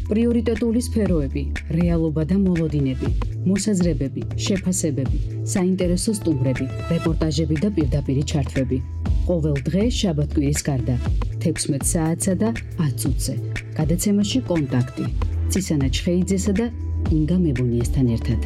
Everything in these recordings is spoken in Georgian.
პრიორიტეტული სფეროები, რეალობა და მოლოდინები, მოსაზრებები, შეფასებები, საინტერესო სტუმრები, რეპორტაჟები და პირდაპირი ჩართვები. ყოველ დღე შაბათ-კვირის გარდა 16 საათსა და 10 წუთზე. გადაცემაში კონტაქტი. ცისანა ჩხეიძესა და ინგა მებუნიესთან ერთად.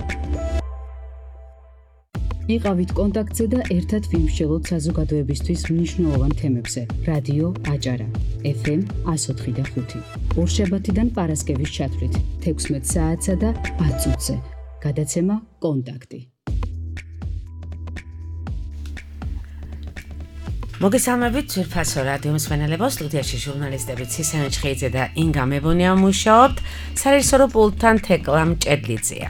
იყავით კონტაქტზე და ერთად ვიმსჯელოთ საზოგადოებისთვის მნიშვნელოვან თემებზე. რადიო აჭარა, FM 104.5. ორშაბათიდან პარასკევის ჩათვლით 16 საათსა და 10 წუთზე. გადაცემა კონტაქტი. მოგესალმებით ძვირფასო რადიო მსმენელებო, სტუდიაში ჟურნალისტები ცისანა ჩხეიძე და ინგა მებუნია მუშაობთ, სარეჟისორო პულტთან თეკლა მჭედლიძეა.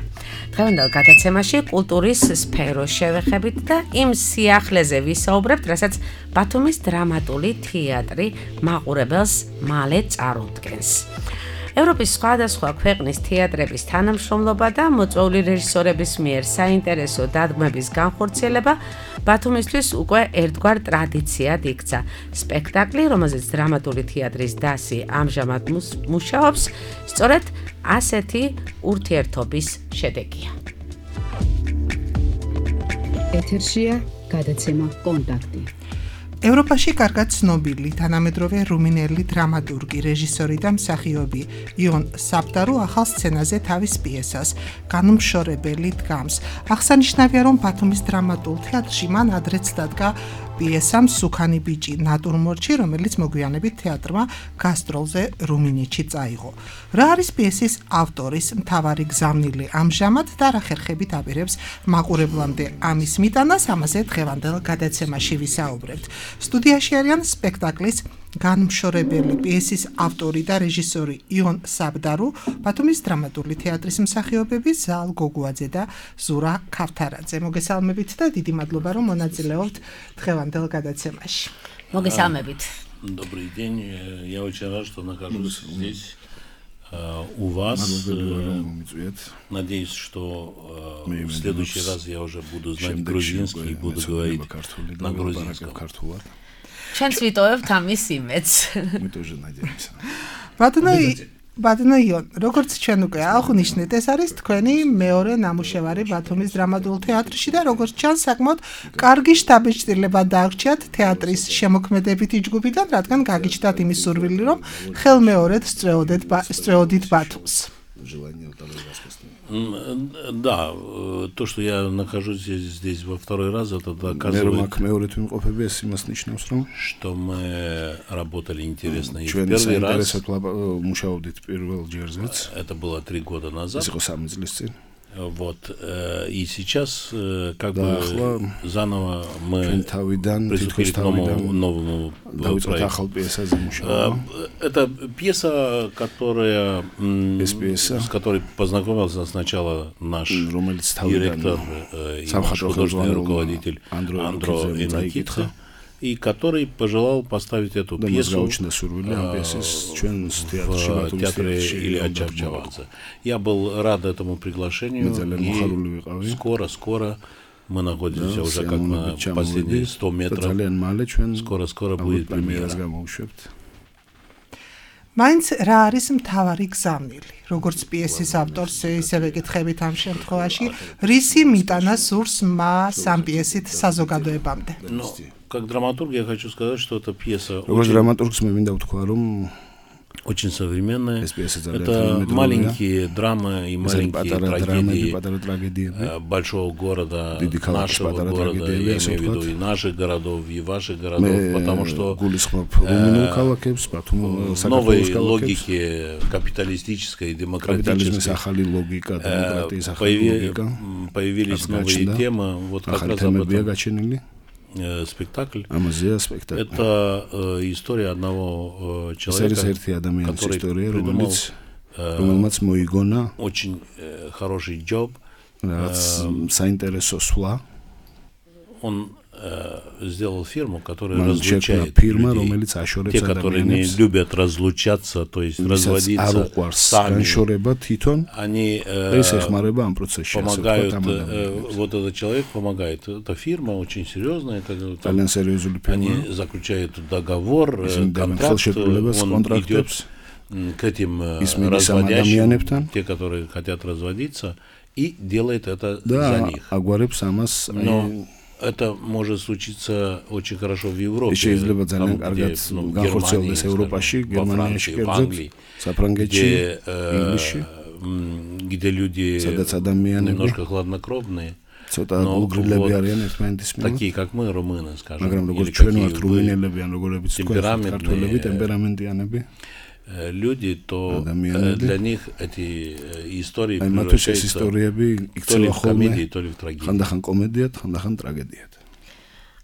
დღევანდელ გადაცემაში კულტურის სფეროს შევეხებით და იმ სიახლეზე ვისაუბრებთ, რასაც ბათუმის დრამატული თეატრი მაყურებელს მალე წარუდგენს. ევროპის სხვადასხვა ქვეყნის თეატრების თანამშრომლობა და მოწვეული რეჟისორების მიერ საინტერესო დადგმების განხორციელება ბათუმისთვის უკვე ერთგვარ ტრადიციად იქცა. სპექტაკლი, რომელზეც დრამატული თეატრის დასი ამჟამად მუშაობს, სწორედ ასეთი ურთიერთობის შედეგია. ეთერშია გადაცემა კონტაქტი. ევროპაში კარგად ცნობილი თანამედროვე რუმინელი დრამატურგი, რეჟისორი და მსახიობი იონ საბდარო ახალ სცენაზე თავის პიესას განუმშორებელი დგამს. აღსანიშნავია, რომ ბათუმის დრამატულ თეატრში მან ადრეც დადგა პიესა მსუქანი ბიჭი ნატურმორტში, რომელიც მოგვიანებით თეატრმა გასტროლზე რუმინეთში წაიღო. რა არის პიესის ავტორის მთავარი გზავნილი ამჟამად და რა ხერხებით აპირებს მაყურებლამდე ამის მიტანას, ამაზე დღევანდელ გადაცემაში ვისაუბრებთ. სტუდიაში არიან სპექტაკლის განმშორებელი პიესის ავტორი და რეჟისორი იონ საბდარო, ბათუმის დრამატული თეატრის მსახიობები ზალ გოგუაძე და ზურა ქავთარაძე. მოგესალმებით და დიდი მადლობა, რომ მონაწილეობთ დღევანდელ გადაცემაში. მოგესალმებით. Добрый день. Я очень рад, что нахожусь здесь у вас. Надеюсь, что в следующий раз я уже буду знать грузинский и буду говорить на грузинском. Чэнс витоевთ ამის იმედს. Мы тоже надеемся. ბატონო იონ, როგორც ჩვენ უკვე აღნიშნეთ, ეს არის თქვენი მეორე ნამუშევარი ბათუმის დრამატულ თეატრში და როგორც ჩანს, საკმაოდ კარგი შტაბ-ჭრილება დააგრჩიათ თეატრის შემოქმედებითი ჯგუფიდან, რადგან გაგიჩნდათ იმის სურვილი, რომ ხელმეორედ სწრეოდით ბათუმს. Да, то, что я нахожусь здесь во второй раз, это доказывает, что мы работали интересно и в первый раз. Это было 3 года назад. Вот, и сейчас как бы заново мы приступили к новому проекту. Это пьеса, с которой познакомился сначала наш директор и наш художественный руководитель Андро Энакитха, и который пожелал поставить эту пьесу в театре Илья Чавчавадзе. Я был рад этому приглашению, и скоро мы находимся уже как на последние 100 метров. Скоро будет премьера. მაინც რა არის მთავარი გზავნილი? როგორც პიესის ავტორს, ისევე გითხებით ამ შემთხვევაში, რისი მიტანა სურს მას ამ პიესით საზოგადოებამდე? Как драматург я хочу сказать, что эта пьеса очень современная. Это маленькие драмы и маленькие трагедии большого города, нашего города, я имею в виду и наших городов, и ваших городов, потому что в новой логике капиталистической и демократической появились новые темы, вот как раз об этом. Спектакль. Это история одного человека, который придумал очень хороший джоб. Он сделал фирму, которая разлучает людей. Те, которые не любят разлучаться, то есть разводиться сами, они помогают, вот этот человек помогает. Эта фирма очень серьезная, они заключают договор, контракт, он идет к этим разводящим, те, которые хотят разводиться, и делает это за них. Но это может случиться очень хорошо в Европе, там, где, в Германии, во Франции, в Англии, где люди немножко хладнокровные, но вот такие, как мы, румыны, скажем, или какие вы, темпераментные люди, то для них эти истории превращаются то ли в комедии, то ли в трагедии.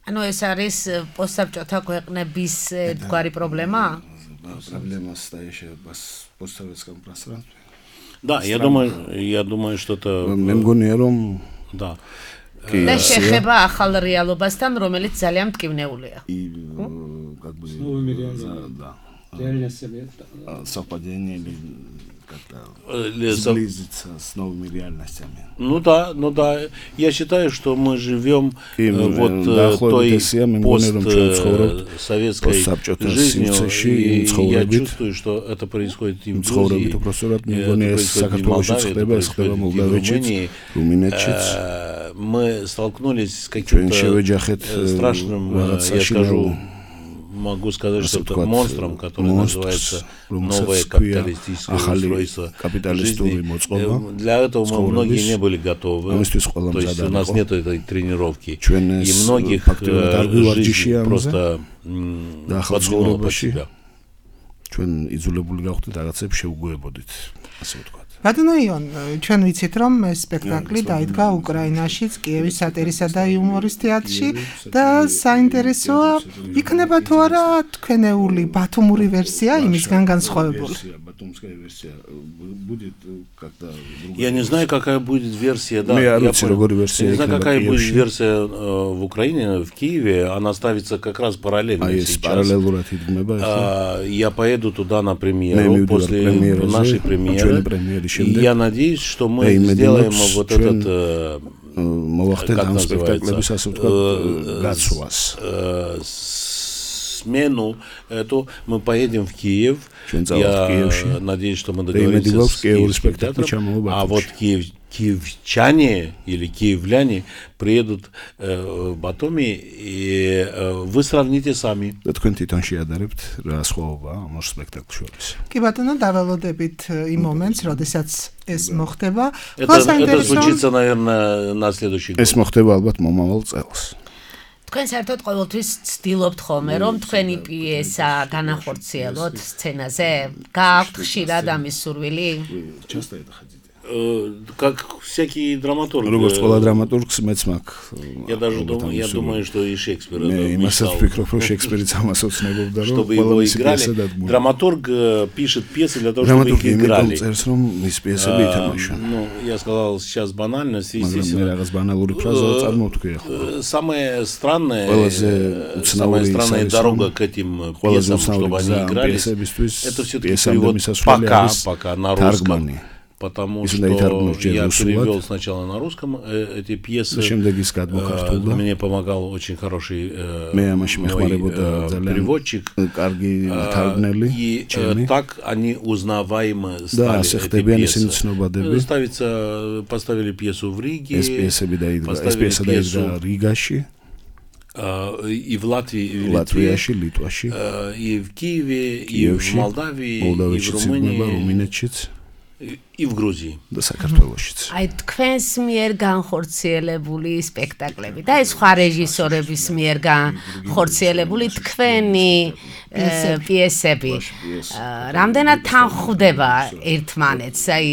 ანუ ეს არის პოსტსაბჭოთა ქვეყნების თქვარი პრობლემა? Проблема стоящая в постсоветском пространстве. Да, я думаю, что это да. და შეხება ახალ რეალობასთან, რომელიც ძალიან მტკივნეულია. Как бы да. Совпадение или как-то сблизиться с новыми реальностями. Ну да. Я считаю, что мы живем вот той постсоветской жизнью, и я чувствую, что это происходит и в Грузии, это происходит и в Молдавии, это происходит и в Румынии. Мы столкнулись с каким-то страшным, я скажу, могу сказать, что это монстром, который называется новое капиталистическое устройство жизни. Для этого мы многие не были готовы, то есть у нас нет этой тренировки, и многих жизнь просто подвинула под себя. ბატონო იონ, ჩვენ ვიცით, რომ ეს სპექტაკლი დაიდგა უკრაინაშიც, კიევის სატირისა და იუმორის თეატრში და საინტერესოა, იქნება თუ არა თქვენეული ბათუმური ვერსია იმისგან განსხვავებული. Я не знаю, какая будет версия, да. Я не знаю, какая будет версия в Украине, в Киеве. Она ставится как раз параллельно сейчас. Я поеду туда на премьеру, после нашей премьеры. И я надеюсь, что мы сделаем вот этот, как называется, смену эту, мы поедем в Киев. Я надеюсь, что мы договоримся с Киевским театром, а вот киевчане или киевляне приедут в Батуми, и вы сравните сами. კი ბატონო, დაველოდებით იმ მომენტს, როდესაც ეს მოხდება. Это случится, наверное, на следующий год. ეს მოხდება ალბათ მომავალ წელს. თქვენ საერთოდ ყოველთვის ცდილობთ ხოლმე, რომ თქვენი პიესა განახორციელოთ სცენაზე? გააქვთ ხშირად ამის სურვილი? Часто это ходите? Как всякий драматург. Როგორც ყველა დრამატურგს მეც მაქვს. Я думаю, что и Шекспир мечтал, чтобы его играли. Драматург пишет пьесы для того, чтобы их играли. Ну, я сказал сейчас банально, естественно. Самая странная дорога к этим пьесам, чтобы они игрались, это все-таки перевод пока на русском. Потому что я перевел сначала на русском эти пьесы, мне помогал очень хороший переводчик, и так они узнаваемы стали, эти пьесы. Поставили пьесу в Риге, поставили пьесу и в Латвии, и в Литве, и в Киеве, и в Молдавии, и в Румынии. И в Грузии. და საქართველოშიც. აი თქვენს მიერ განხორციელებული სპექტაკლები და ეს სხვა რეჟისორების მიერ განხორციელებული თქვენი პიესები რამდენად თანხვდება ერთმანეთს? აი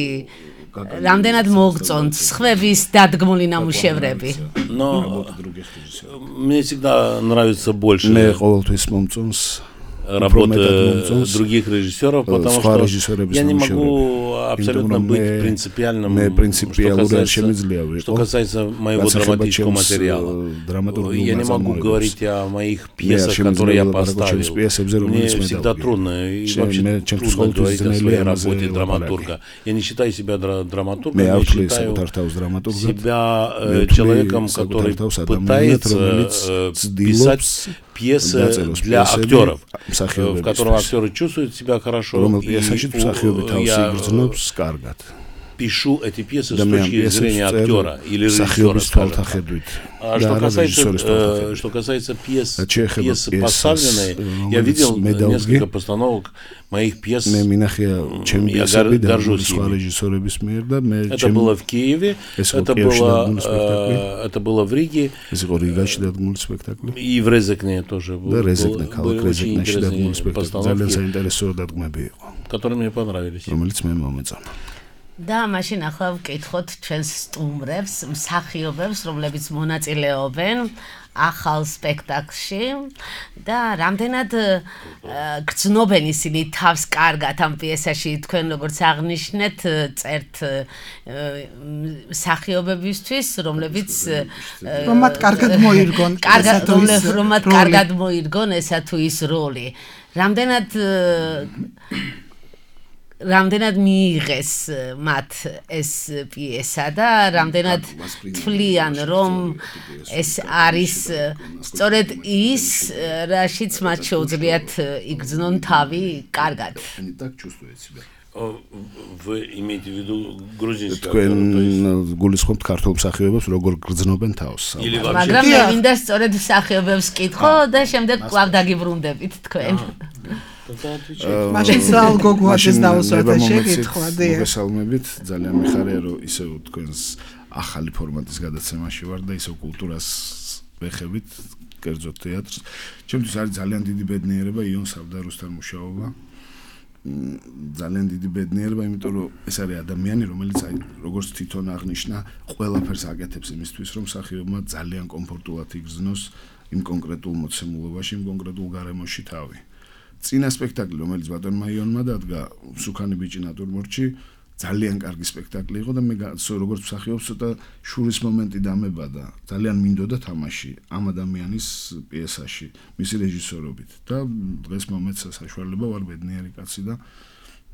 რამდენად მოგწონთ სხვების დადგმული ნამუშევრები? Но мне всегда нравится больше. მე ყოველთვის მომწონს работы других режиссеров, потому что я не могу абсолютно быть принципиальным, что касается моего драматического материала. Я не могу говорить о моих пьесах, которые я поставил. Мне всегда трудно, и вообще трудно говорить о своей работе драматурга. Я не считаю себя драматургом, я считаю себя человеком, который пытается писать пьеса для актеров, в котором актеры чувствуют себя хорошо. Пишу эти пьесы с точки зрения актера или режиссера. Что касается пьес поставленной, я видел несколько постановок моих пьес. Я горжусь ими. Это было в Киеве, это было в Риге, и в Резекне тоже были очень интересные постановки, которые мне понравились. და მაშინ ახლა ვკითხოთ ჩვენს სტუმრებს, მსახიობებს, რომლებიც მონაწილეობენ ახალ სპექტაკლში და რამდენად გრძნობენ ისინი თავს კარგად ამ პიესაში, თქვენ როგორც აღნიშნეთ, წერთ მსახიობებისთვის, რომლებიც რომათ კარგად მოირგონ ესა თუ ის როლი. რამდენად მიიღეს მათ ეს პიესა და რამდენად თვლიან რომ ეს არის სწორედ ის რაშიც მათ შეუძლიათ იგრძნონ თავი კარგად. Вы имеете в виду грузинский актер? თქვენ გულისხმობთ ქართულ მსახიობებს როგორ გრძნობენ თავს? მაგრამ მე მინდა სწორედ მსახიობებს კითხო და შემდეგ კვლავ დაგიბრუნდებით თქვენ. მაშინ სალ გოგოაძეს დავუსვათ და შეკითხვა და მოგესალმებით, ძალიან მიხარია რომ ისევ თქვენს ახალი ფორმატის გადაცემაში ვარ და ისევ კულტურას ვეხებით, კერძოდ თეატრს. ჩემთვის არის ძალიან დიდი ბედნიერება იონ სავდარუსთან მუშაობა. ძალიან დიდი ბედნიერება, იმიტომ რომ ეს არის ადამიანი, რომელიც აი როგორც თვითონ აღნიშნა, ყველაფერს აკეთებს იმისთვის, რომ მსახიობმა ძალიან კომფორტულად იგრძნოს იმ კონკრეტულ მოცემულობაში, იმ კონკრეტულ გარემოში თავი. წინა სპექტაკლი, რომელიც ბატონმა იონმა დადგა, სუქანი ბიჭი ნატურმორტში, ძალიან კარგი სპექტაკლი იყო და მე როგორც მსახიობს ცოტა შურის მომენტი დამებადა. ძალიან მინდოდა თამაში ამ ადამიანის პიესაში, მისი რეჟისორობით და დღეს მომეცა საშუალება, ვარ ბედნიერი კაცი და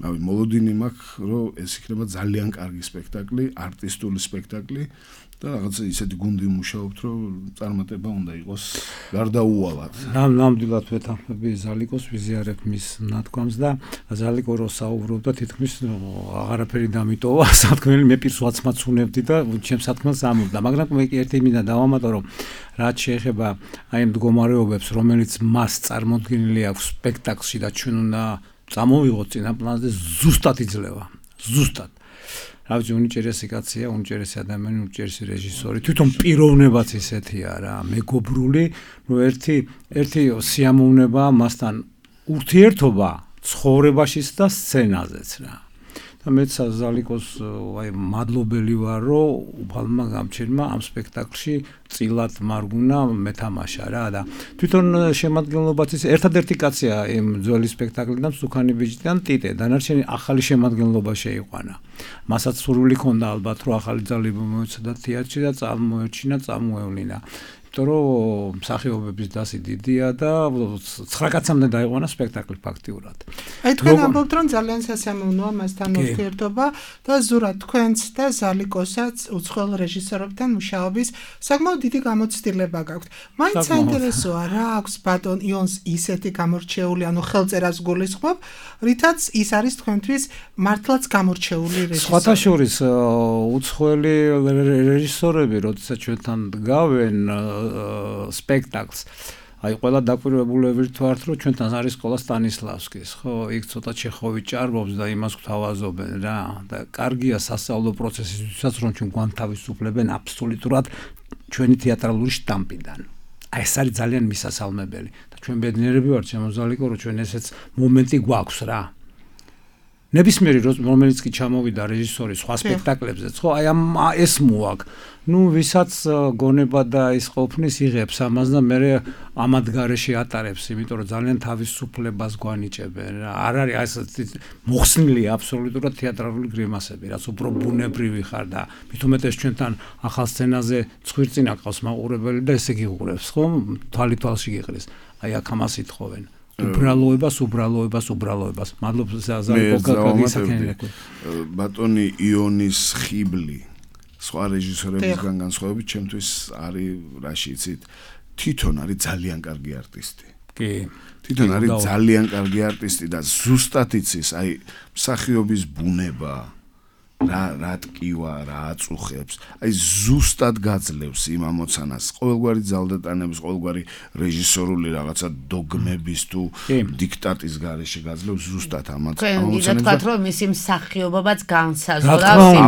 მოლოდინი მაქვს, რომ ეს იქნება ძალიან კარგი სპექტაკლი, არტისტული სპექტაკლი და რაღაცა ისეთი გუნდი მუშაობთ, რომ წარმატება უნდა იყოს გარდაუვალად. ნამდვილად ვეთანხმები ზალიკოს, ვიზიარებ მის ნათქვამს და ზალიკო რო საუბრობდა, თითქმის აღარაფერი დამიტოვა, სათქმელი მე პირს ვაცმაც უნებდი და ჩემს სათქმელს ამობდა, მაგრამ მე ერთი მინდა დავამატო, რომ რაც შეეხება აი ამ მდგომარეობებს, რომელიც მას წარმოდგენილი აქვს სპექტაკლში და ჩვენ უნდა წამოვიღოთ წინა პლანზე, ზუსტად იძლევა. ზუსტად. რა ვიცი, უნიჭერესი კაცია, უნიჭერესი ადამიანი, უნიჭერესი რეჟისორი. თვითონ პიროვნებაც ისეთია რა, მეგობრული, რომ ერთი სიამოვნება მასთან ურთიერთობა ცხოვრებაშიც და სცენაზეც რა. და მეც ზალიკოს აი მადლობელი ვარ, რომ უფალმა გამჩერმა ამ სპექტაკლში წილად მარგუნა მეთამაშა რა და თვითონ შემადგენლობაც ის ერთადერთი კაცია იმ ძველი სპექტაკლიდან სუქანი ბიჭიდან ტიტე, დანარჩენი ახალი შემადგენლობა შეიყვანა. მასაც სურვილი ჰქონდა ალბათ, რომ ახალი ძალები მოეცადა თეატრში და წარმოეჩინა, წარმოევლინა. იმიტომ რომ მსახიობების დასი დიდია და 9 კაცამდე დაიყვანა სპექტაკლი ფაქტიურად. აი თქვენ ამბობთ, რომ ძალიან სასიამოვნოა მასთან ურთიერთობა და ზურა თქვენც და ზალიკოსაც უცხოელ რეჟისორებთან მუშაობის საკმაოდ დიდი გამოცდილება გაქვთ. მაინც საინტერესოა რა აქვს ბატონ იონს ისეთი გამორჩეული, ანუ ხელწერას გულისხმობ, რითაც ის არის თქვენთვის მართლაც გამორჩეული რეჟისორი. სხვათა შორის უცხოელი რეჟისორები, როდესაც ჩვენთან დგავენ სპექტაკლს. აი ყველა დაკვირვებულები ვართ, რომ ჩვენთან არის სკოლა სტანისლავსკის, ხო? იქ ცოტა ჩეხოვი ჭარბობს და იმას გვთავაზობენ რა. და კარგია სასწავლო პროცესისთვისაც, რომ ჩვენ გვანთავისუფლებენ აბსოლუტურად ჩვენი თეატრალური შტამპიდან. აი ეს არის ძალიან მისასალმებელი და ჩვენ ბედნიერები ვართ, შემოზალიკო, რომ ჩვენ ესეც მომენტი გვაქვს რა. ნებისმიერი რომელიც კი ჩამოვიდა რეჟისორი სხვა სპექტაკლებზეც, ხო, აი ეს მოაქვს. ნუ ვისაც გონება და ის ყოფნის იღებს ამას და მე ამად გარეშე ატარებს, იმიტომ რომ ძალიან თავისუფლებას გვანიჭებენ რა. არ არის ეს მოხსნილი აბსოლუტურად თეატრალური გრიმასები, რაც უფრო ბუნებრივი ხარ და მithumetes ჩვენთან ახალ სცენაზე ცხვირწინა ყავს მაყურებელი და ესე გიყურებს, ხო? თვალში გიყრის. აი აქ ამას ითხოვენ. უბრალოებას. მადლობა ზალიკო გაგისაკენებთ. ბატონი იონის ხიბლი სხვა რეჟისორებისგან განსხვავებით ჩემთვის არის რაში იცით თვითონ არის ძალიან კარგი არტისტი. კი. თვითონ არის ძალიან კარგი არტისტი და ზუსტად იცის, აი მსახიობის ბუნება რა ტკივა, რა აწუხებს, აი ზუსტად გაძლევს იმ ამოცანას, ყოველგვარი ძალდატანების, ყოველგვარი რეჟისორული რაღაცა დოგმების თუ დიქტატის გარეშე გაძლევს ზუსტად ამოცანას. თქვენ თქვათ, რომ მისი მსახიობობაც განსაზღვრავს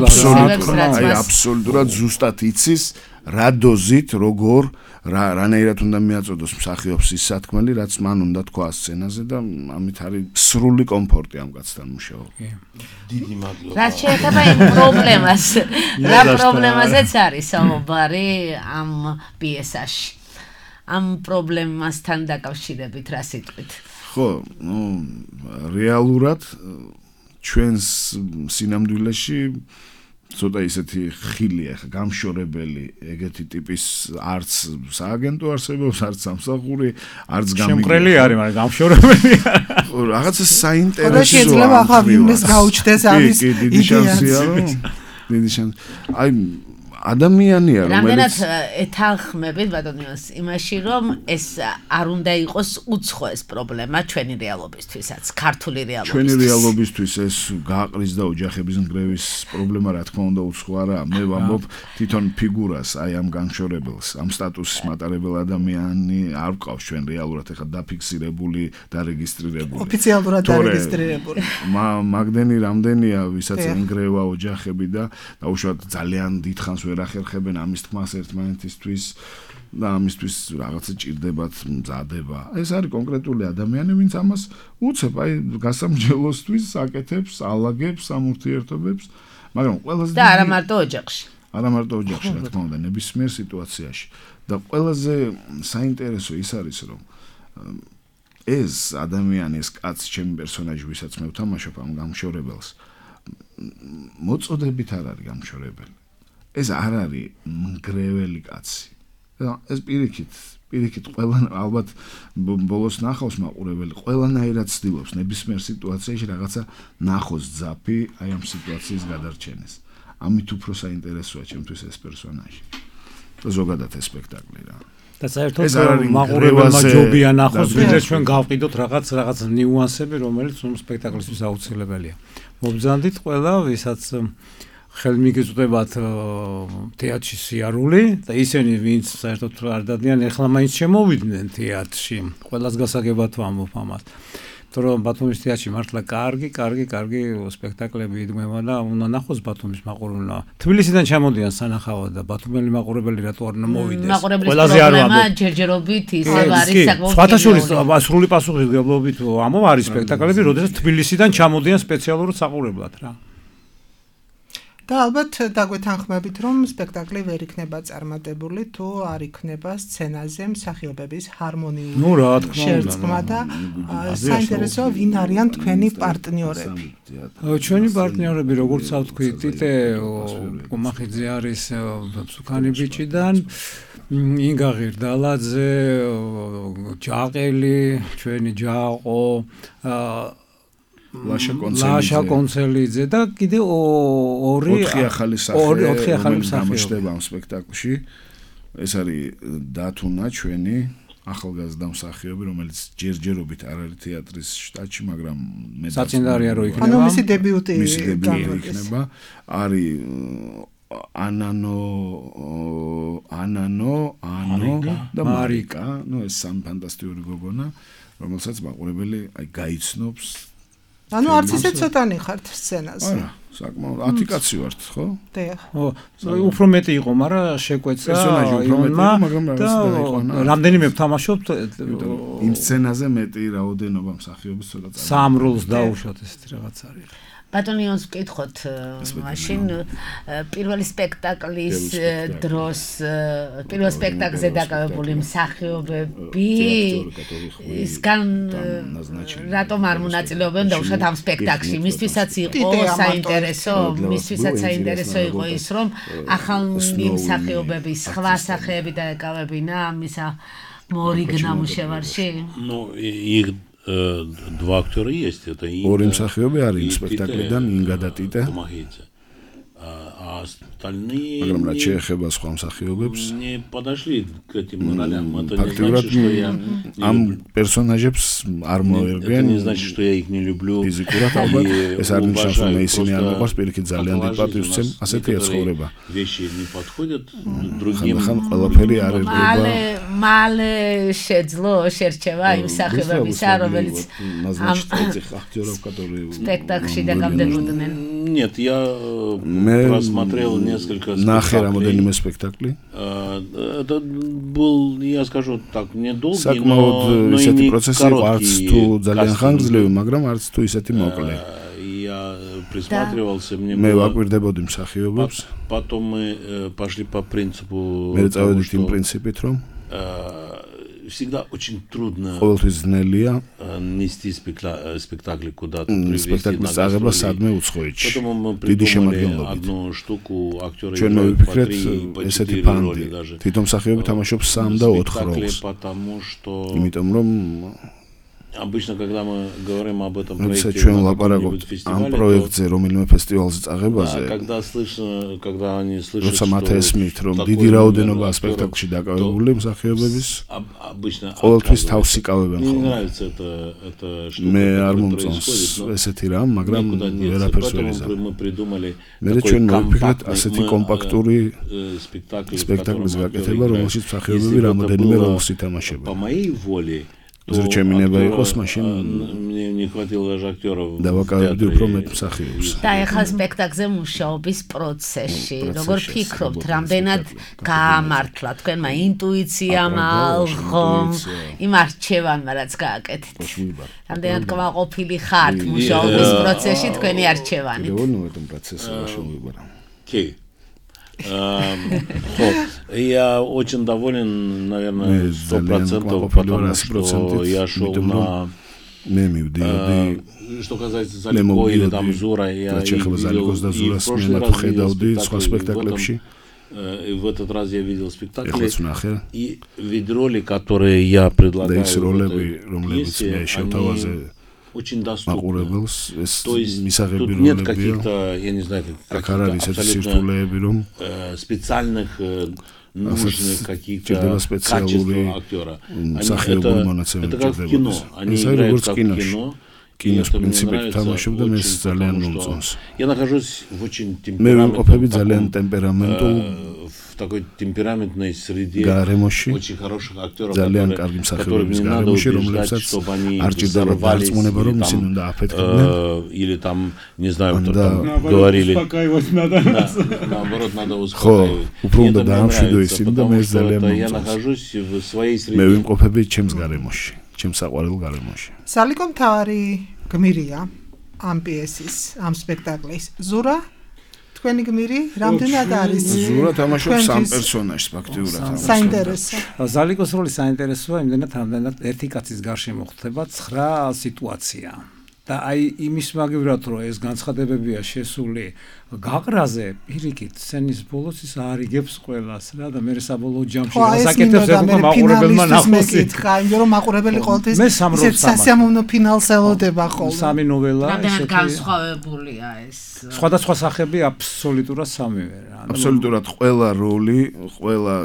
აბსოლუტურად ზუსტად იცის რა დოზით, როგორ რანაირად უნდა მიაწოდოს მსახიობს ის სათქმელი, რაც მან უნდა თქვა სცენაზე და ამით არის სრული კომფორტი ამ კაცთან მუშაობა. დიდი მადლობა. რა შეეხება იმ პრობლემას? რა პრობლემაზეც არის საუბარი ამ პიესაში? ამ პრობლემასთან დაკავშირებით რა სიტყვით? ხო, რეალურად ჩვენს სინამდვილეში ცოტა ისეთი ხილია, გამშორებელი ეგეთი ტიპის არც სააგენტო არსებობს, არც სამსახური, არც შემყრელი არის, მაგრამ გამშორებელია. რაღაცა საინტერესოა. და შეიძლება ახლა ვინმეს გაუჩნდეს ამის დიდი შანსია, რომ დიდი შანსი. აი ადამიანია, რომელიც რამდენად ეთანხმებით ბატონიოს იმაში, რომ ეს არ უნდა იყოს უცხო ეს პრობლემა ჩვენი რეალობისთვისაც, ქართული რეალობისთვის. ჩვენი რეალობისთვის ეს გააყრის და ოჯახების ნგრევის პრობლემა რა თქმა უნდა უცხო არა. მე ვამბობ თვითონ ფიგურას, აი ამ განშორებელს, ამ სტატუსის მატარებელ ადამიანი არ გვყავს ჩვენ რეალურად ეხლა დაფიქსირებული და რეგისტრირებული. ოფიციალურად დარეგისტრირებული. მაგდენი რამდენია, ვისაც ნგრევა ოჯახები და უშუალოდ ძალიან დიდხანს ვერ ახერხებენ ამის თქმას ერთმანეთისთვის და ამისთვის რაღაცა ჭირდებათ მზადება. ეს არის კონკრეტული ადამიანი, ვინც ამას უცებ, აი გასამჯელოსთვის აკეთებს, ალაგებს ამ ურთიერთობებს, მაგრამ ყველაზე და არა მარტო ოჯახში. არა მარტო ოჯახში, რა თქმა უნდა, ნებისმიერ სიტუაციაში. და ყველაზე საინტერესო ის არის, რომ ეს ადამიანი, ეს კაცი, ჩემი პერსონაჟი, ვისაც მე ვთამაშობ ამ გამშორებელს, მოწოდებით არ არის გამშორებელი. ეს არ არის მგრეველი კაცი. ეს პირიქით ყველა ალბათ ბოლოს ნახავს მაყურებელი, ყველანაირად ცდილობს ნებისმიერ სიტუაციაში რაღაცა ნახოს ძაფი აი ამ სიტუაციის გადარჩენას. ამით უფრო საინტერესოა ჩემთვის ეს პერსონაჟი. და ზოგადად ეს სპექტაკლი რა. და საერთოდ მაყურებელმა ჯობია ნახოს, ვიდრე ჩვენ გავყიდოთ რაღაც ნიუანსები, რომელიც ამ სპექტაკლისთვის აუცილებელია. მობრძანდით ყველა, ვისაც ხელმიგეწვდებათ თეატრში სიარული და ისინი ვინც საერთოდ არ დადიან ეხლა მაინც შემოვიდნენ თეატრში. ყველას გასაგებად ვამბობ ამას. თორემ ბათუმის თეატრში მართლა კარგი სპექტაკლები იდგმება და უნდა ნახოს ბათუმის მაყურებელმა. თბილისიდან ჩამოდიან სანახავად და ბათუმელი მაყურებელი რატო არ უნდა მოვიდეს? ყველაზე არ ვამბობ. ჯერჯერობით ისევ არის საკმაოდ. სხვათა შორის სრული პასუხისმგებლობით ამო არის სპექტაკლები, როდესაც თბილისიდან ჩამოდიან სპეციალურად საყურებლად რა. და ალბათ დაგვეთანხმებით, რომ სპექტაკლი ვერ იქნება წარმატებული, თუ არ იქნება სცენაზე მსახიობების ჰარმონიული შერწყმა და საინტერესოა ვინ არიან თქვენი პარტნიორები. ჩვენი პარტნიორები, როგორც ვთქვი, ტიტე გომახიძე არის სუკანი ბიჭიდან, ინგა ღირდალაძე, ჯაყელი, ჩვენი ჯაყო, ლაშა კონცელიძე და კიდე ორი ახალი მსახიობი ამ სპექტაკლში. ეს არის დათუნა ჩვენი ახალგაზრდა მსახიობი, რომელიც ჯერჯერობით არ არის თეატრის შტატში, მაგრამ მე საწინდარია რომ იქნება. ანუ მისი დებიუტი იქნება. არის ანანო და მარიკა, ну ეს სამი ფანტასტიკური გოგონა, რომელსაც მაყურებელი აი გაიცნობს. ანუ არც ისე ცოტანი ხართ სცენაზე. არა, საკმაოდ 10 კაცი ვართ, ხო? დიახ. ხო, უფრო მეტი იყო, მაგრამ შეკვეცა იონმა და რამდენიმე ვთამაშობთ იმ სცენაზე მეტი რაოდენობა მსახიობის ცოტა წამოწევს. სამ როლს დაუშვათ ესეთი რაღაც არის. ბატონიონს ვკითხოთ მაშინ პირველი სპექტაკლის დროს პირველ სპექტაკლზე დაკავებული მსახიობები ისგან რატომ არ მონაწილეობენ და უშუალოდ ამ სპექტაკლში მისთვისაც იყო საინტერესო იყო ის რომ ახალნი მსახიობები სხვა სახეები დაეკავებინა მისა მორიგ ნამუშევარში два актера есть, это ორი მსახიობი არის სპექტაკლიდან ინგა და ტიტე. а остальные მაგრამ რაც შეეხება სხვა მსახიობებს не подошли к этим ролям. Это не значит, что я ამ პერსონაჟებს არ მოერგენ. Это не значит, что я их не люблю. ფიზიკურად ალბათ ეს არ ნიშნავს რომ ისინი არ მოყვარს, პირიქით ძალიან დიდ პატივს ვცემ, ასეთია ცხოვრება. Вещи не подходят другим. ხან ყველაფერი არ ერგება. მალე შეძლო შერჩევა იმ სახეობისა, რომელიც სპექტაკლში დაგამდებოდნენ. Нет, я просмотрел несколько спектаклей. Спектакли. Это был, я скажу так, недолгий, но и не короткий. Я присматривался, мне было... Потом мы пошли по принципу того, всегда очень трудно нести спектакли куда-то, привести на гастроли. Поэтому мы придумали одну штуку, актеры играют по 3, по 4 роли даже. Спектакли, потому что... Обычно, когда мы говорим об этом проекте на каком-нибудь фестивале, когда слышно, когда они слышат, что такой обычно мне не нравится эта штука, которая происходит, поэтому мы придумали такой компактный спектакль, в котором актеры играют. Если бы это было по моей воле, мне не хватило даже актеров. და ეხლა სპექტაკლზე მუშაობის პროცესში, როგორ ფიქრობთ, რამდენად გაამართლა თქვენმა ინტუიციამ, ალღომ, იმ არჩევანმა, რაც გააკეთეთ? რამდენად კმაყოფილი ხართ მუშაობის პროცესში თქვენი არჩევანით? Я очень доволен, наверное, 100%, потому что я шел на... Что касается Залико или там Зура, я видел и в прошлый раз видел спектакли, и в этот раз я видел спектакли, и ведь роли, которые я предлагаю в этой пьесе, они очень доступны. То есть тут нет каких-то, я не знаю, абсолютно специальных нужных каких-то качеств актера. Это как в кино. Они играют как в кино. И это мне нравится очень, потому что я нахожусь в очень в такой темпераментной среде очень хороших актеров, которым не надо убеждать, чтобы они взорвались или там, не знаю, кто там говорили. Наоборот, надо успокаивать. И это мне нравится, потому что я нахожусь в своей среде. Заликом თავარი გმირია ამ პიესის, ამ სპექტაკლის. ზურა თქვენი გმირი რამდენად არის? ზურა თამაშობს სამ პერსონაჟს ფაქტიურად. საინტერესო. ზალიკოს როლი საინტერესოა, იმდენად ერთი კაცის გარშემო ხდება 9 სიტუაცია. და აი იმის მაგივრად რომ ეს განცხადებებია შესული გაყრაზე, პირიქით, სცენის ბოლოს ის არიგებს ყველას რა და მე საბოლოო ჯამში ასაკეთებს ეხლა მაყურებელმა ნახოს. იმიტომ რომ მაყურებელი ყოველთვის სასიამოვნო ფინალს ელოდება ხოლმე. სამი ნოველა ესეთი განსხვავებულია ეს. სხვადასხვა სახები აბსოლუტურად სამივე რა. აბსოლუტურად ყველა როლი, ყველა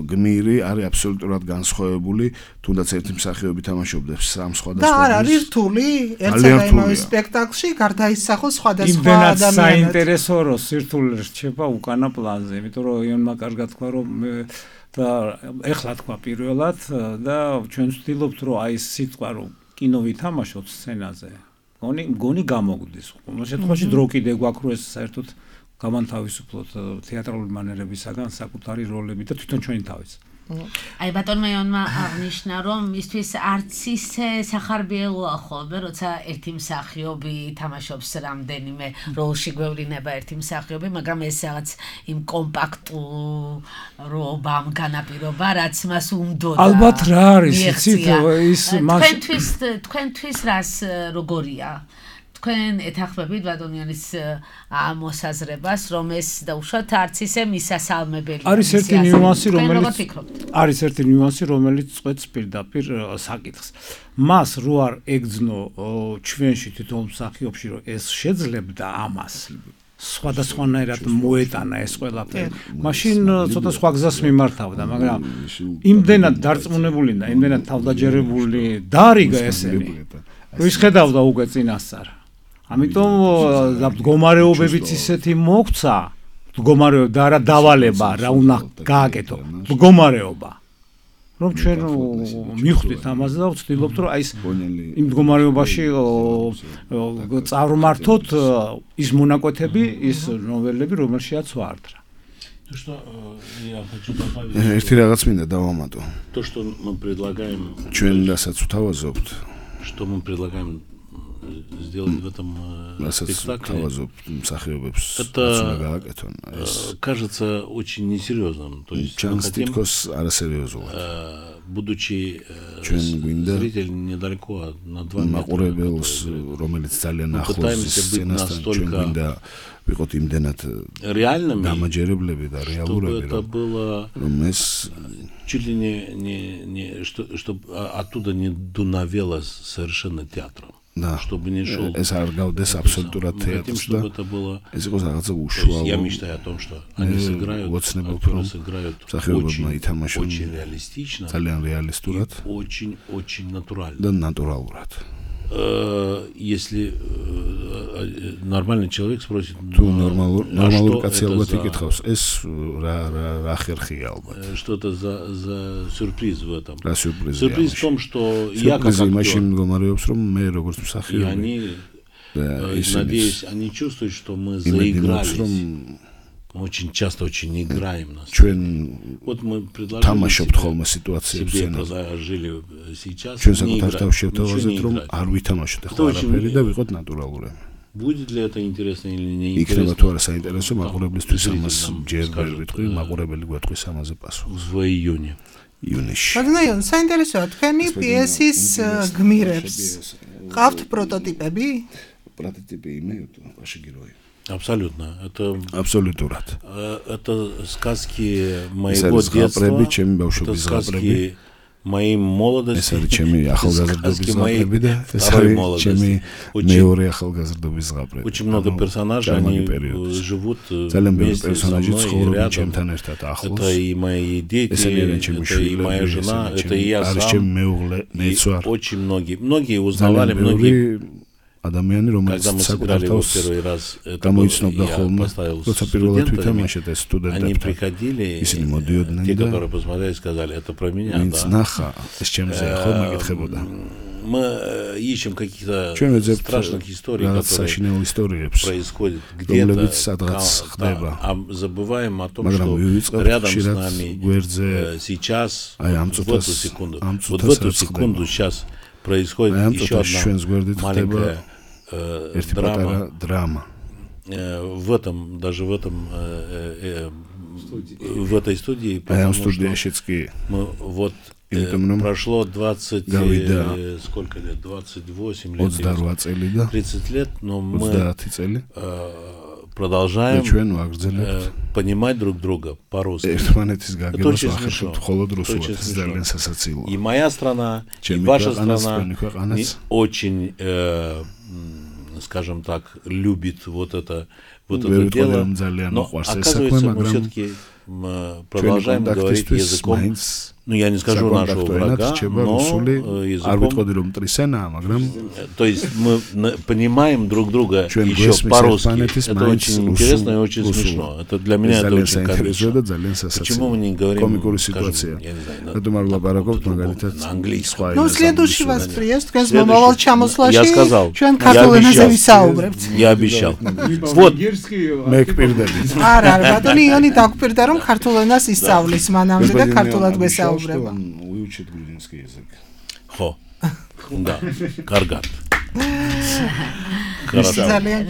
გმირი არის აბსოლუტურად განსხვავებული, თუნდაც ერთი მსახიობი თამაშობს სამ სხვადასხვა. და არ არის რთული ერთსა და იმავე სპექტაკლში გარდაისახოს სხვადასხვა ადამიანები. საინტერესო რომ სირთულე რჩება უკანა პლანზე, იმიტომ რომ იონმა კარგად თქვა რომ და ეხლა თქვა პირველად და ჩვენ ვცდილობთ რომ აი ეს სიტყვა რომ კინო ვითამაშოთ სცენაზე. მგონი გამოგვდის. ყოველ შემთხვევაში დრო კიდე გვაქვს რომ ეს საერთოდ გამანთავისუფლოთ თეატრალური მანერებისაგან საკუთარი როლები და თვითონ ჩვენი თავის. აი ბატონმა იონმა აღნიშნა რომ მისთვის არც ისე სახარბიელოა ხოლმე როცა ერთი მსახიობი თამაშობს რამდენიმე როლში გვევლინება ერთი მსახიობი, მაგრამ ეს რაღაც იმ კომპაქტურობამ განაპირობა, რაც მას უმდოდა. ალბათ რა არის იცით ის თქვენთვის რას როგორია? თქვენ ეთახმებით ბატონიანის მოსაზრებას, რომ ეს დაუშვათ არც ისე მისასალმებელი. არის ერთი ნიუანსი, რომელიც წვეთს პირდაპირ საკითხს. მას რო არ ეგძნო ჩვენში თვითონ მსახიობში, რომ ეს შეძლებდა ამას. სხვადასხვანაირად მოეტანა ეს ყველაფერი. მაშინ ცოტა სხვა გზას მიმართავდა, მაგრამ იმდენად დარწმუნებული და იმდენად თავდაჯერებული დაარიგა ესენი. ის ხედავდა უკვე წინასწარ. ამიტომ მდგომარეობებიც ისეთი მოგვცა, მდგომარეობა და არა დავალება, რა უნდა გააკეთო, მდგომარეობა. რომ ჩვენ მივხვდით ამაზე და ვცდილობთ რომ აი ეს იმ მდგომარეობაში წარმართოთ ის მონაკვეთები, ის ნოველები, რომელშიაც ვარდრა. То, что я хочу добавить. ერთი რაღაც მინდა დავამატო. То, что мы предлагаем. ჩვენ რასაც ვთავაზობთ. Что мы предлагаем сделать в этом спектакле. Это кажется очень несерьезным. То есть будучи зритель недалеко на 2 метра, мы пытаемся быть настолько реальными, чтобы это было чуть ли не чтобы оттуда не дуновело совершенно театром. Да. Чтобы не шел. Это аргауdes абсолютно театр. Чтобы это было. Я мечтаю о том, что они сыграют очень реалистично и очень натурально. Да, натурально. Если нормальный человек спросит, что это за сюрприз в этом? Сюрприз в том, что я как актер, и они, надеюсь, они чувствуют, что мы заигрались. Мы очень часто очень играем на сцене. Вот мы предложили себе предложили сейчас не играть, ничего не играть. Будет ли это интересно или не интересно? В июне. Поднаён, საინტერესოა, თქვენი პიესის გმირებს ყავთ პროტოტიპები? Прототипы имеют ваши герои. Абсолютно. Это абсолютно. Это сказки моего детства. Это сказки моей молодости. Сказки моей второй молодости. Очень много персонажей, они живут вместе со мной и рядом. Это и мои дети, это и моя жена, это и я сам. И очень многие узнавали, многие. Когда мы сыграли его первый раз, это я поставил студентами, они приходили, те, которые посмотрели, сказали, это про меня, да. Мы ищем каких-то страшных историй, которые происходят где-то, а забываем о том, что рядом с нами сейчас, в эту секунду, вот в эту секунду сейчас происходит еще одна маленькая драма. Даже в этой студии, потому что мы вот прошло 20, сколько лет, 28 лет, 30 лет, но мы продолжаем понимать друг друга по-русски. Это очень смешно. И моя страна, и ваша страна очень, скажем так, любит вот это дело. Но оказывается, мы все-таки продолжаем говорить языком, ну я не скажу нашего врага, но языком. То есть мы понимаем друг друга еще по-русски. Это очень интересно и очень смешно. Это для меня это очень комично. Почему мы не говорим, скажем, я не знаю, на английском? Ну, следующий вас приезд, я сказал, я обещал. Вот. რომ ქართულ ენას ისწავლის მანამდე და ქართულად გვესაუბრება. Выучит грузинский язык. Ხო. Да, კარგად.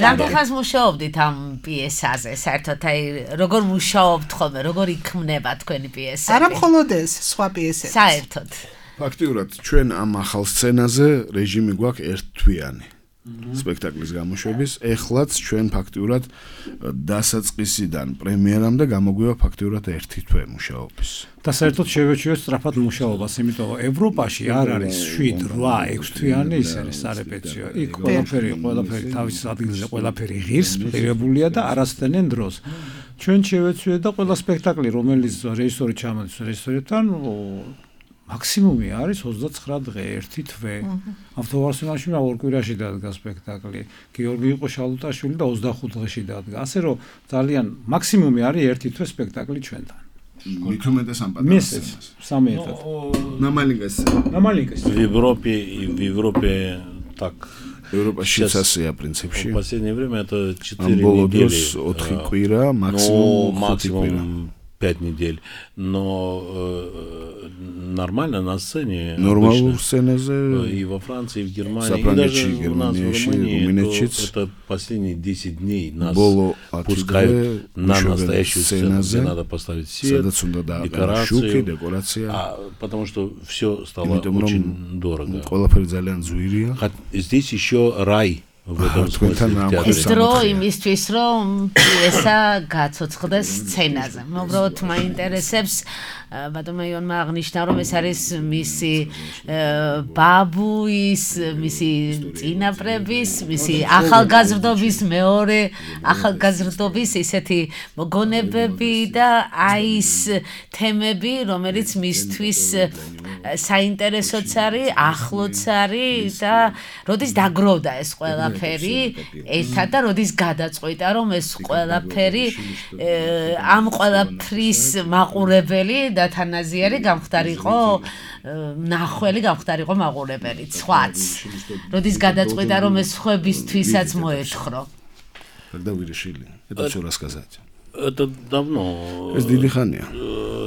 რამდენხანს მუშაობდით ამ პიესაზე? საერთოდ აი როგორ მუშაობთ ხოლმე, როგორ იქმნება თქვენი პიესები? არა მხოლოდ ეს, სხვა პიესები. საერთოდ. ფაქტიურად ჩვენ ამ ახალ სცენაზე რეჟიმი გვაქვს ერთთვიანი. სპექტაკლის გამოშვების. ეხლაც ჩვენ ფაქტიურად დასაწყისიდან პრემიერამდე გამოგვივა ფაქტიურად 1 თვე მუშაობის. და საერთოდ შევეჩვიოთ სწრაფად მუშაობას, იმიტომ რომ ევროპაში არ არის 7, 8, 6 თვიანი ის არის სარეპეტიციო. იქ ყველაფერი თავის ადგილზე, ყველაფერი ღირს, ღირებულია და არასდენენ დროს. ჩვენ შევეცვიეთ და ყველა სპექტაკლი, რომელიც რეჟისორი ჩამოდის რეჟისორთან, მაქსიმუმი არის 29 დღე, 1 თვე. ავტოვარსკვლავში ორ კვირაში დადგა სპექტაკლი. გიორგი იყო შალუტაშვილი და 25 დღეში დადგა. ასე რომ ძალიან მაქსიმუმი არის 1 თვე სპექტაკლი ჩვენთან. Миту меде сам падал. Сам этот. На маленькости. В Европе так. Европа сейчас в принципе. В последнее время это 4 недели. Максимум 5 недель. Но нормально на сцене. Нормально в сцене. И во Франции, и в Германии, и даже у нас в Румынии. Это последние 10 дней нас пускают на настоящую сцену, где надо поставить свет, декорации. Потому что все стало очень дорого. Здесь еще рай. В этом смысле Истро იმისთვის რომ პიესა გაცოცხლდეს სცენაზე. უბრალოდ მაინტერესებს ბატონმა იონმა აღნიშნა რომ ეს არის მისი ბაბუის, მისი წინაპრების, მისი ახალგაზრდობის მეორე ახალგაზრდობის ისეთი მოგონებები და აი ეს თემები, რომელიც მისთვის საინტერესოც არის, ახლოც არის და როდის დაგროვდა ეს ყველაფერი ერთად და როდის გადაწყვიტა რომ ეს ყველაფერი ამ ყველაფრის მაყურებელი და თანაზიერი გამხდარიყო ნახველი გამხდარიყო მაყურებელი სხვაც როდის გადაწყვიტა რომ ეს ხვებისთვისაც მოეთხრო Когда вы решили это всё рассказать? Это давно. Es дидихания.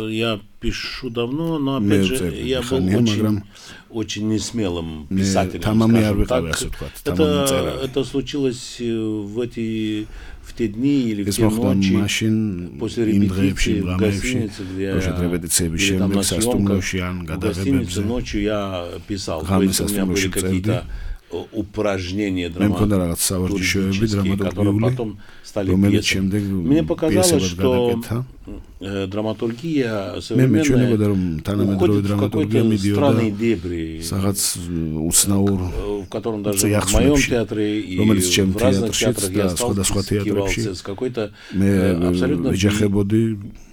Я пишу давно, но опять же я был очень несмелым писателем. Это случилось в те дни или в те ночи после репетиции в гостинице, где или там на съемках, в гостинице ночью я писал. То есть у меня были какие-то упражнения драматургические, которые потом стали пьесами. Мне показалось, что драматургия современная уходит в какой-то странный дебри, в котором даже в моем театре и в разных театрах я сталкивался с какой-то абсолютно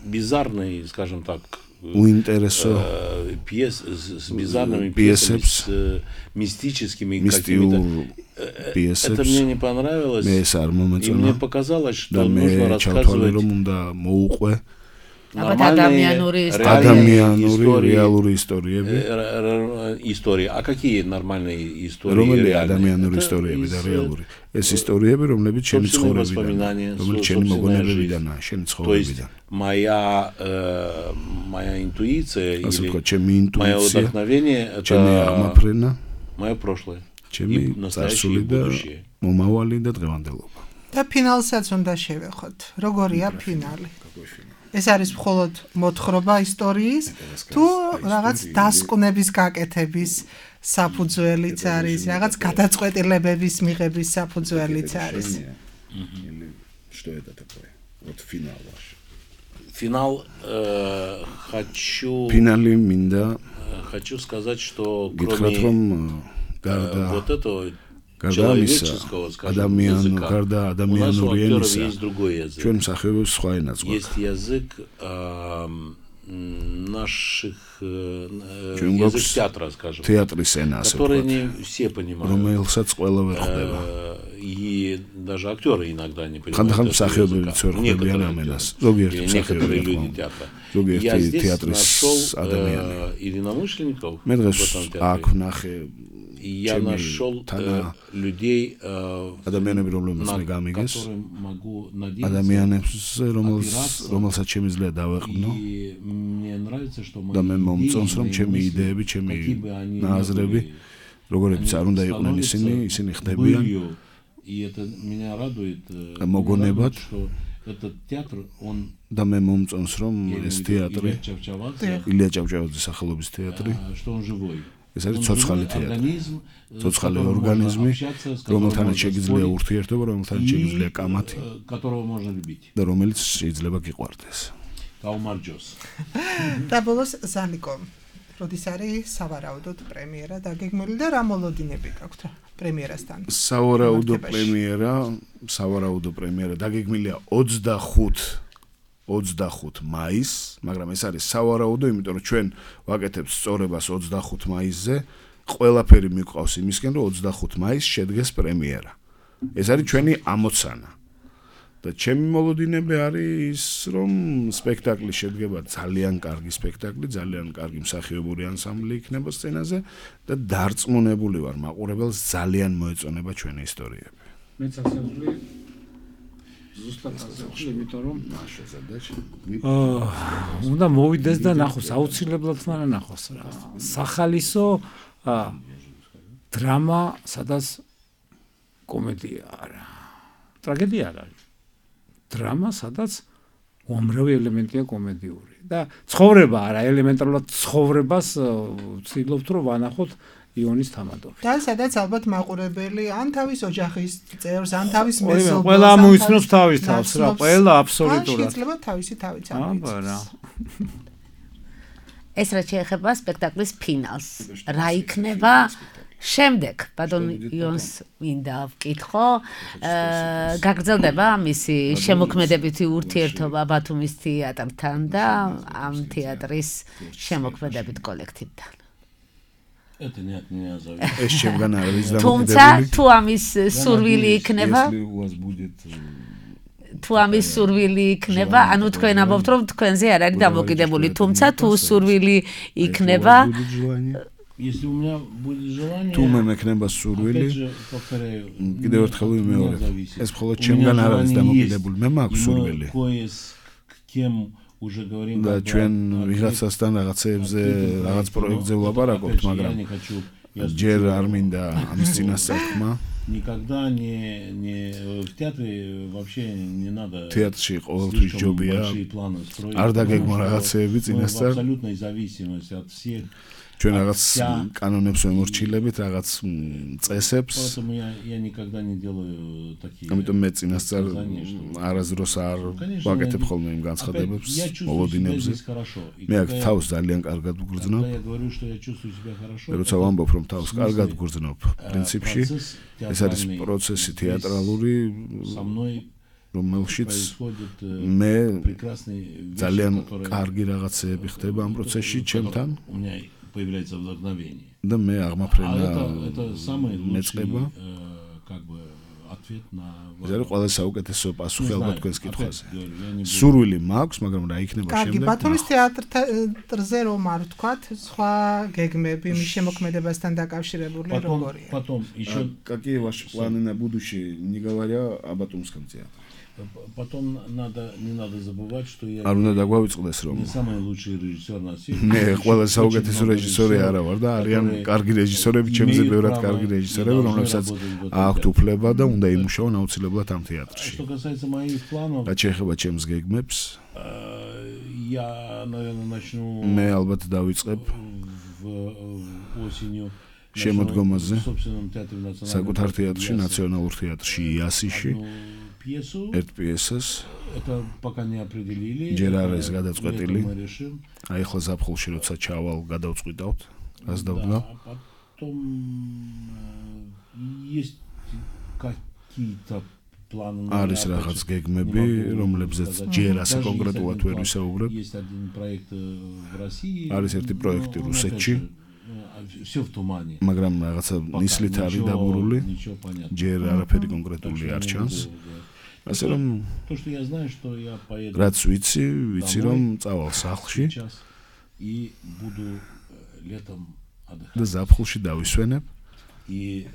бизарной, скажем так, пьес с бизарными пьесами, с мистическими какими-то. Это мне не понравилось, и мне показалось, что нужно рассказывать реальные истории. А какие нормальные истории? Реальные истории, ეს ისტორიები, რომლებიც ჩემი ცხოვრებიდან, რომლებიც ჩემი მოგონებებიდან, ჩემი ცხოვრებიდან. Моя интуиция или моё вдохновение это моё прошлое. ჩემი წარსული და მომავალი და დღევანდელობა. და ფინალსაც უნდა შევეხოთ. როგორია ფინალი? ეს არის მხოლოდ მოთხრობა ისტორიის თუ რაღაც დასკვნების გაკეთების საფუძველიც არის, რაღაც გადაწყვეტილებების მიღების საფუძველიც არის. Что это такое? Вот финал ваш. Финал Финали минда. Хочу сказать, что кроме вот этого человеческого, скажем, языка, у нас у актеров есть другой язык. Есть язык наших язык театра, скажем, который не все понимают. И даже актеры иногда не понимают некоторые люди театра. Я здесь нашел единомышленников в этом театре. Я нашел людей, на которых могу надеяться, опираться. И мне нравится, что мои идеи, какие бы они ни были, и это меня радует, что этот театр, он Илия Чавчавадзе სახელობის театр, что он живой. ეს არის ცოცხალი თეატრი. ცოცხალი ორგანიზმი, რომელთანაც შეგიძლია ურთიერთობა, რომელთანაც შეგიძლია კამათი, და რომელიც შეიძლება გიყვარდეს. გაუმარჯოს. და ბოლოს ზალიკო, როდის არის სავარაუდოდ პრემიერა დაგეგმილი და რა მოლოდინები გაქვთ პრემიერასთან? სავარაუდო პრემიერა დაგეგმილია 25 მაისს, მაგრამ ეს არის სავარაუდო, იმიტომ რომ ჩვენ ვაკეთებთ სწორებას 25 მაისზე, ყველაფერი მიყვავს იმისკენ, რომ 25 მაისს შედგეს პრემიერა. ეს არის ჩვენი ამოცანა. და ჩემი მოლოდინები არის ის, რომ სპექტაკლი შედგება ძალიან კარგი სპექტაკლი, ძალიან კარგი მსახიობური ანსამბლი იქნება სცენაზე და დარწმუნებული ვარ, მაყურებელს ძალიან მოეწონება ჩვენი ისტორიები. მეც ასე ვთვლი. ზუსტად ასე ვთვლი, იმიტომ რომ უნდა მოვიდეს და ნახოს, აუცილებლად უნდა ნახოს რა. სახალისო დრამა, სადაც კომედია არა. ტრაგედია არ არის. დრამა, სადაც უამრავი ელემენტია კომედიური და ცხოვრება არა, ელემენტარულად ცხოვრებას ვცდილობთ რომ ვანახოთ იონის თამადობით. და სადაც ალბათ მაყურებელი ან თავის ოჯახის წევრს, ან თავის მეზობელს, ყველა მოიცნობს თავის თავს რა, ყველა აბსოლუტურად. შეიძლება თავისი თავიც ამოიცნოს. ეს რაც შეეხება სპექტაკლის ფინალს, რა იქნება შემდეგ, ბატონ იონს მინდა ვკითხო, გაგრძელდება მისი შემოქმედებითი ურთიერთობა ბათუმის თეატრთან და ამ თეატრის შემოქმედებით კოლექტივთან. ეს შემგან არის დამოკიდებული. თუმცა თუ ამის სურვილი იქნება, ანუ თქვენ ამბობთ, რომ თქვენზე არ არის დამოკიდებული, თუმცა თუ სურვილი იქნება, Если у меня будет желание, თუ მე მექნება სურვილი, კიდევ ერთხელ ვიმეორებ. ეს მხოლოდ ჩემგან არ არის დამოკიდებული, მე მაქვს სურვილი. და ჩვენ ვიღაცასთან რაღაცებზე, რაღაც პროექტზე ვლაპარაკობთ, მაგრამ ჯერ არ მინდა ამის წინასწარ ხმა. Никогда не в театре вообще не надо. Театрში ყოველთვის ჯობია. არ დაგეგმო რაღაცეები წინასწარ. Абсолютной зависимости от всех. ჩვენ რაღაც კანონებს ვემორჩილებით, რაღაც წესებს. Поэтому я никогда не делаю такие. ამიტომ მე წინასწარ არასდროს არ ვაკეთებ ხოლმე იმ განცხადებებს, მოლოდინებზე. მე აქ თავს ძალიან კარგად ვგრძნობ. როცა ვამბობ, რომ თავს კარგად ვგრძნობ, პრინციპში ეს არის პროცესი თეატრალური, რომელშიც მე ძალიან კარგი რაღაცეები ხდება ამ პროცესში ჩემთან. Появляется вдохновение. Да მე აღმაფრენა это самый лучший как бы ответ на ეს არის ყველა საუკეთესო პასუხი ალბათ თქვენს კითხვაზე. სურვილი მაქვს, მაგრამ რა იქნება შემდეგ? კარგი, ბათუმის თეატრზე რომ არ ვთქვათ, სხვა გეგმები მის შემოქმედებასთან დაკავშირებული როგორია? Потом еще какие ваши планы на будущее? Не говоря о Батумском театре. Потом не надо забывать, что я არ უნდა დაგვავიწყდეს რომ не самый лучший режиссер на свете. მე ყველა საუკეთესო რეჟისორი არა ვარ და არიან კარგი რეჟისორები, ჩემზე ბევრად კარგი რეჟისორები, რომლებსაც აქვთ უფლება და უნდა იმუშაონ აუცილებლად ამ თეატრში. Что касается моих планов, რაც შეეხება ჩემს გეგმებს, я, наверное, начну მე ალბათ დავიწყებ осенью შემოდგომაზე собственном театре национального საკუთარ თეატრში, ნაციონალურ თეატრში იასიში. пьесу. ერთ პიესას. Это пока не определили. ჯერ არ არის გადაწყვეტილი. აი ახლა ზაფხულში როცა ჩავალ, გადავწყვიტავთ, რას დავდგა. Потом есть какие-то планы. არის რაღაც გეგმები, რომლებზეც ჯერ ასე კონკრეტულად ვერ ვისაუბრებ. Есть один проект в России. არის ერთი პროექტი რუსეთში. Всё в тумане. მაგრამ რაღაცა ნისლით არის დაბურული. ჯერ არაფერი კონკრეტული არ ჩანს. ასე რომ то что я знаю что я поеду რაც ვიცი რომ წავალ სახლში и буду летом отдыхать და ზაფხულში დავისვენებ и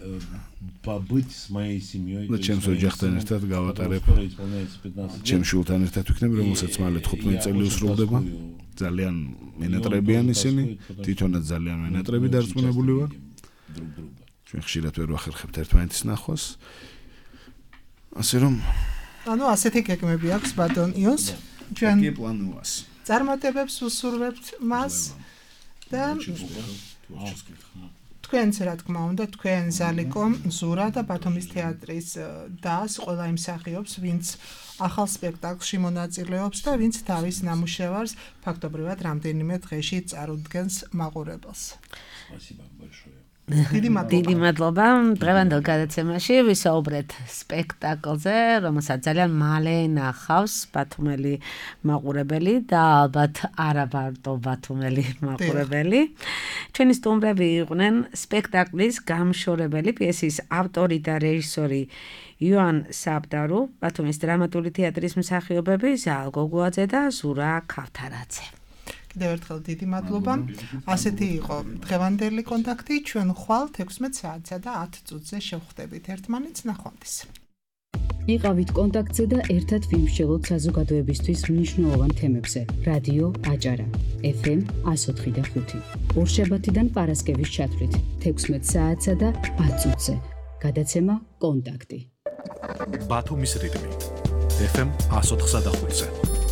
побыть с моей семьей და ჩემს ოჯახთან ერთად გავატარებ ჩემ შულთან ერთად ვიქნებ რომელსაც მალე 15 წელი უსრულდება ძალიან მენატრებიან ისინი თვითონაც ძალიან მენატრები დარწმუნებული ვარ ჩვენ ხშირად ვერ ვახერხებთ ერთმანეთის ნახვას ასე რომ ანუ ასეთი გეგმები აქვს ბატონ იონს ჩვენ კი პლანუას წარმატებებს უსურვებთ მას და თქვენც რა თქმა უნდა, თქვენ ზალიკომ, ზურა და ბათუმის თეატრის დას ყველა იმ მსახიობს, ვინც ახალ სპექტაკლში მონაწილეობს და ვინც თავის ნამუშევარს ფაქტობრივად რამდენიმე დღეში წარუდგენს მაყურებელს. დიდი მადლობა. დღევანდელ გადაცემაში ვისაუბრეთ სპექტაკლზე, რომელსაც ძალიან მალე ნახავს ბათუმელი მაყურებელი და ალბათ არა მარტო ბათუმელი მაყურებელი. ჩვენი სტუმრები იყვნენ სპექტაკლის გამშორებელი, პიესის ავტორი და რეჟისორი ივან საბდარო, ბათუმის დრამატული თეატრის მსახიობები ზაალ გოგუაძე და ზურა ქავთარაძე. კიდევ ერთხელ დიდი მადლობა. ასეთი იყო დღევანდელი კონტაქტი. ჩვენ ხვალ 16 საათსა და 10 წუთზე შევხვდებით ერთმანეთს. ნახვამდის. იყავით კონტაქტზე და ერთად ვიმსჯელოთ საზოგადოებისთვის მნიშვნელოვან თემებზე. რადიო აჭარა FM 104.5. ორშაბათიდან პარასკევის ჩათვლით 16 საათსა და 10 წუთზე. გადაცემა კონტაქტი. ბათუმის რიტმი FM 104.5-ზე.